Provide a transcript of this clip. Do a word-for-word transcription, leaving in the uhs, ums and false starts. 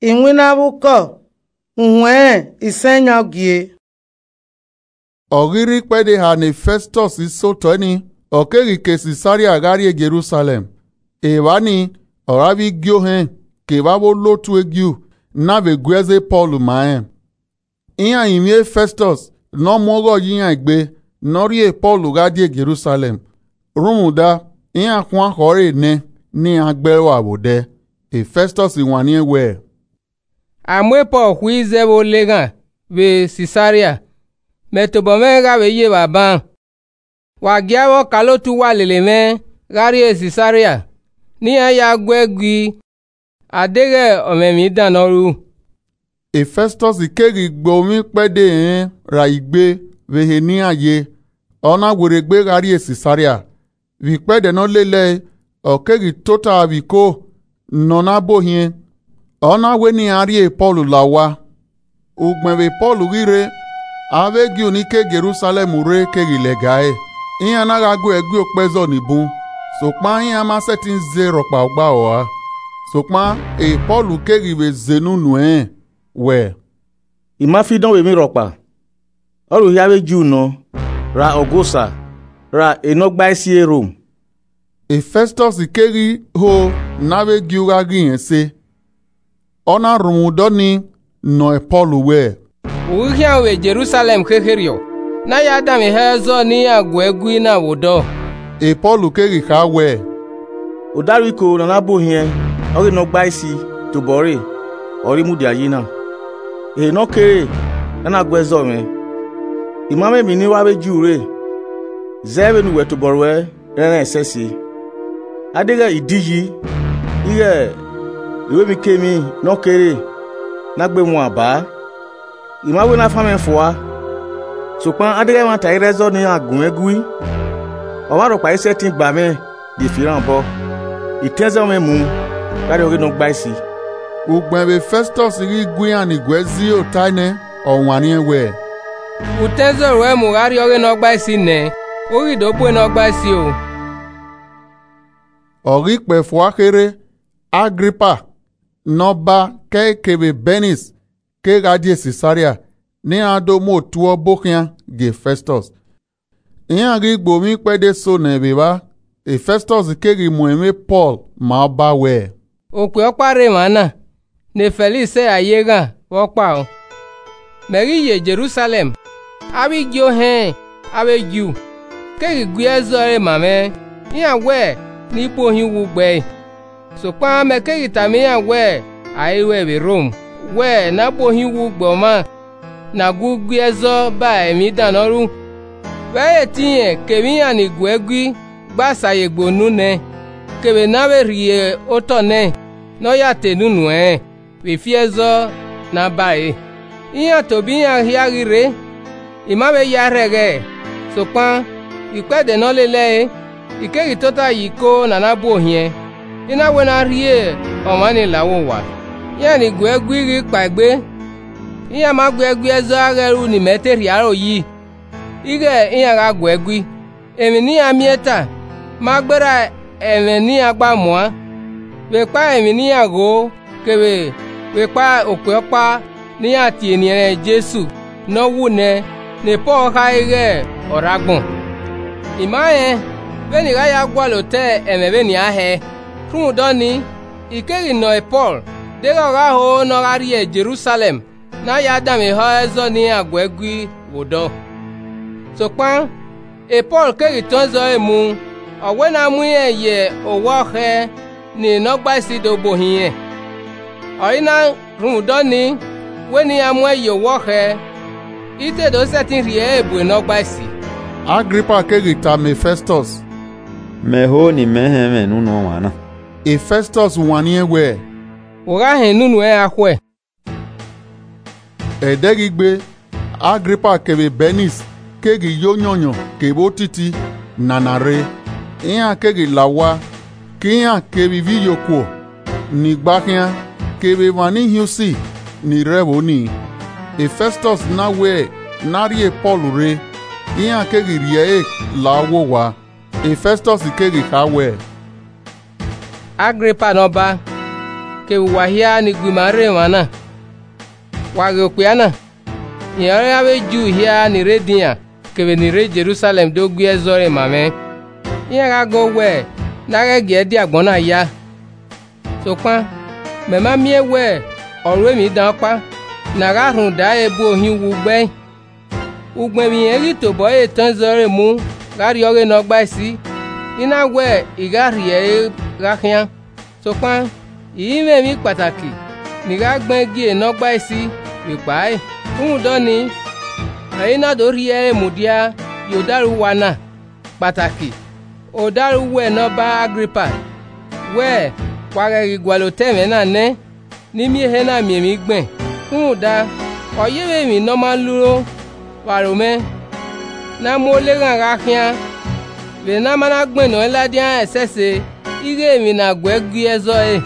Iwinna vbe ukọ, uhuẹn isẹn yan gie. Ọ ghi rre ikpẹdẹ eha ne Fẹstọs sotọe nii, ọ keghi ke Sisaria gha rrie Jerusalẹm. Evba nii ọre avbe igie ohẹn kevbe avbe olotu e Ju na vbe gu ẹzọ e Pọl ma rẹn. Iran rinmwian Fẹstọs ne ọ mu ọghọ ye iran egbe ne ọ rhie Pọl gha die Jerusalẹm, rhunmwuda iran khuan khọe ẹre nẹ ne iran gbe ẹre vbe odẹ. Fẹstọs wanniẹn wẹẹ, A mu Pọl khui zẹ vbe oleghan vbe Sisaria, mẹ tobọ mwẹ gha vbe ye evba ban. Wa gie avbe ọkaolotu uwa lele mwẹ gha rrie Sisaria, ne iran ya gu ẹe gui, a deghẹ ọ mwẹ emwi dan ne ọ ru. Fẹstọs keghi gbe ovbi ikpẹdẹ ẹnrẹn ra igbe vbe ehe ne iran ye, ọ na werriegbe gha rrie Sisaria. Vbe ikpẹdẹ ne ọ lele ẹe, ọ keghi tota vbe iko ne ọ na bu ohiẹn, ọ na wẹ ne iran rhie Pọl la owa. Ugbẹn vbe Pọl ghi rre, avbe Ju ni ke Jerusalẹm rre keghi lẹga ẹe, iran na gha gu ẹe gui okpẹzọ ni bun, sokpan iran ma sẹtin zẹ rhọkpa ọgba rua. Sokpan Pọl keghi vbe zẹ enu nuẹn wẹẹ, I ma fi dọn vbe emwi rhọkpa, ọ rrie uhi avbe Ju nọ, ra Ọgọsa, ra enọgbaisi e Rom. Fẹstọs keghi ho ne avbe Ju gha ghi rẹn ẹse, ọ na rhunmwuda ọnii nọ Pọl wẹẹ, U ghi khian ru vbe Jerusalẹm khekherriọ, ne a ya danmwehọ ẹzọ ne iran gu ẹe gui na vbe odọ? Pọl keghi kha wẹẹ, Odaro iko ne a na bu ohiẹn ọghe enọgbaisi tobọ ẹre ọre I mudia yi na. Ehe ne ọ kere ne a na gu ẹzọ mwẹ, I ma mwẹ emwi ne I ru avbe Ju rre, zẹ vbene uwẹ tobọ ruẹ rẹnrẹn ẹsẹse. A deghẹ I di yi, ighẹ I ru emwikemwi ne ọ kere ne a gbe mwẹ ba, I ma wẹ ne a fan mwẹ fua. Sokpan a deghẹ ẹmwata i rre ẹzọ ne iran gu mwẹ gui, ọmwa rhọkpa i sẹtin gba mwẹ die fi erhan obọ. I tẹn ẹzọ mwẹ mu gha rrie ọghe enọgbaisi. Ugbẹn vbe Fẹstọs ghi gu iran ni gu ẹe zẹ ota nẹ, ọ wanniẹn wẹẹ, U tẹn ẹzọ ruẹ mu gha rrie ọghe enọgbaisi nẹ, u ghi do bu enọgbaisi o. Ọ ghi kpẹe fua kherhe, Agripa ne ọba kẹe kevbe Bẹnis kegha die Sisaria, ne iran do mu otuobọ khian gie Fẹstọs. Iran ghi gbe ovbi ikpẹdẹ eso nẹ vbe evba, Fẹstọs keghi mu ẹmwẹ Pọl ma ọba wẹẹ, Okpia ọkpa rre emwa na, ne Fẹliksi sẹ a ye eghan vbe ọkpa o. Mẹ ghi ye Jerusalẹm, avbe igie ohẹn avbe Ju keghi gu ẹzọ ẹre ma mwẹ, iran wẹ ne I bu ohiẹn uwu gbe ẹe. Sokpan mẹ keghi tama iran wẹẹ, a i ru ẹe vbe Rom, wẹ ne a bu ohiẹn uwu gbe ọmwa ne a gu gu ẹzọ ba emwi dan ne ọ ru. Vbe ẹre etẹn irẹn kevbe iran ni gu ẹe gui gba sa ye gbe unu nẹ, kevbe ne a vbe rhie otọ nẹ ne ọ ya ta enu nuẹn vbe ifi ẹzọ ne a ba ẹre. Iran tobọ iran hia ghi rre, I ma vbe ya rhẹghẹ ẹe, sokpan vbe ikpẹdẹ ne ọ lele ẹe, I keghi tota ye iko ne a na bu ohiẹn, I na wẹ ne a rhie ọmwa ni la vbe owa. Iran ni gu ẹe gui ghi kpaegbe, iran ma gu ẹe gui ẹzọ gha ghẹ ẹru ne imẹ te rhie aro yi, ighẹ iran gha gu ẹe gui. Emwi ne iran miẹn ta ma gberra ẹmwẹ ne iran gba muan, vbe ekpa emwi ne iran gho kevbe vbe ekpa okpia ọkpa ne iran tie eniẹnrẹn Jesu ne ọ wu nẹ, ne Pọl khare ighẹ ọ rre agbọn. I ma rẹn vbene I gha ya gualọ otọ ẹmwẹ vbenian hẹẹ. Rhunmwuda ọnii, I keghi nọ Pọl deghẹ ọ gha ho ne ọ gha rrie Jerusalẹm ne a ya danmwehọ ẹzọ ne iran gu ẹe gui vbe odọ. Sokpan Pọl keghi tọn ẹzọ ẹre mu, ọ wẹ ne a mu irẹn ye owa ọkhẹ ne enọgbaisi do bu ohiẹn. Ọre I na rhunmwuda ọnii, wẹ ne iran mu ẹn ye owa ọkhẹ, I te do sẹtin rhie ẹre bu enọgbaisi. Agripa keghi tama Fẹstọs, Mẹ ho ne imẹ họn ẹmwẹ ne unu ọmwa na. Fẹstọs wanniẹn wẹẹ, Wo gha họn unu nuẹn a khuẹ. Ẹdẹghigbe, Agripa kevbe Bẹnis keghi ye oyọnyọn kevbe otiti nana rre, iran keghi la owa, ke iran kevbe ivbi iyokuo ni gba khian, kevbe emwa ni hin usi ni rre ẹvbo nii. Fẹstọs na wẹ ne a rhie Pọl rre, iran keghi rhie ẹre la vbe owa. Fẹstọs keghi kha wẹẹ, Agripa ne ọba, kevbe uwa hia ni gu ima rre emwa na. Wa ghe okpia na, rẹn ọre avbe Ju hia ni rre edian kevbe ni rre Jerusalẹm do gu ẹe zọre ma mwẹ, iran gha gọ wẹ ne a ghẹ gie ẹdẹ agbọn na ya. Sokpan mẹ ma miẹn wẹ ọ ru emwi dan ọkpa ne a gha rhunmwuda ẹre bu ohiẹn uwu gbe ẹe. Ugbẹn vbe irẹn ghi tobọ ẹre etẹn zọre mu gha rrie ọghe ne ọ gbae si, I na wẹ I gha rhie ẹre gha khian. Sokpan I i mwẹ emwi kpataki ne I gha gbẹn gie ne ọ gbae si vbe kpa ẹe. Rhunmwuda ọnii, ọre I na do rhie ẹre mudia ye odaro uwa na, kpataki odaro uwẹ ne Ọba Agripa, wẹ wa ghẹ ghi gualọ otọ ẹmwẹ na nẹ, ne I miẹn ehe na miẹn emwi gbẹn. Rhunmwuda, ọ yevbe emwi ne ọ ma luro vbe aro mwẹ, ne a mu oleghan gha khian, vbene a ma na gbẹnnọ ẹn ladian ẹsẹse ighẹ emwi ne a guẹ gie zọre.